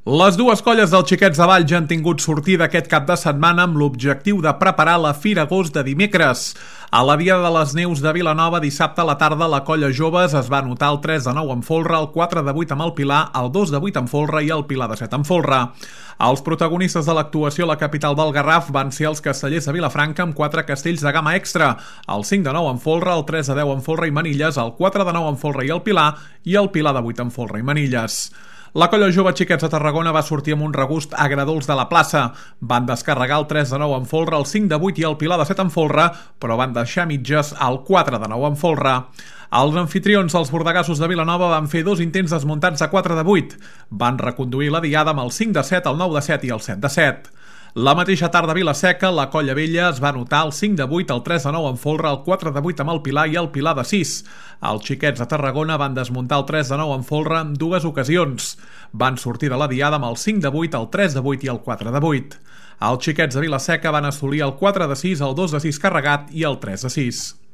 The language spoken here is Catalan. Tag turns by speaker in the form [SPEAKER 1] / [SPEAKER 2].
[SPEAKER 1] Les dues colles dels Xiquets de Valls han tingut sortida aquest cap de setmana amb l'objectiu de preparar la Fira Agost de dimecres. A la Diada de les Neus de Vilanova, dissabte a la tarda, la colla Joves es va anotar el 3-9 en folre, el 4-8 amb el Pilar, el 2-8 en folre i el Pilar de 7 en folre. Els protagonistes de l'actuació a la capital del Garraf van ser els castellers de Vilafranca amb 4 castells de gamma extra, el 5-9 en folre, el 3-10 en folre i manilles, el 4-9 en folre i el Pilar de 8 en folre i manilles. La colla jove Xiquets de Tarragona va sortir amb un regust agradols de la plaça. Van descarregar el 3-9 en folre, el 5-8 i el Pilar de 7 en folre, però van deixar mitges el 4-9 en folre. Els anfitrions, els bordegassos de Vilanova, van fer 2 intents desmuntats a 4-8. Van reconduir la diada amb el 5-7, el 9-7 i el 7-7. La mateixa tarda a Vilaseca, la colla vella es va anotar el 5-8, el 3-9 en folre, el 4-8 amb el Pilar i el Pilar de 6. Els Xiquets de Tarragona van desmuntar el 3-9 en folre en 2 ocasions. Van sortir de la diada amb el 5-8, el 3-8 i el 4-8. Els Xiquets de Vilaseca van assolir el 4-6, el 2-6 carregat i el 3-6.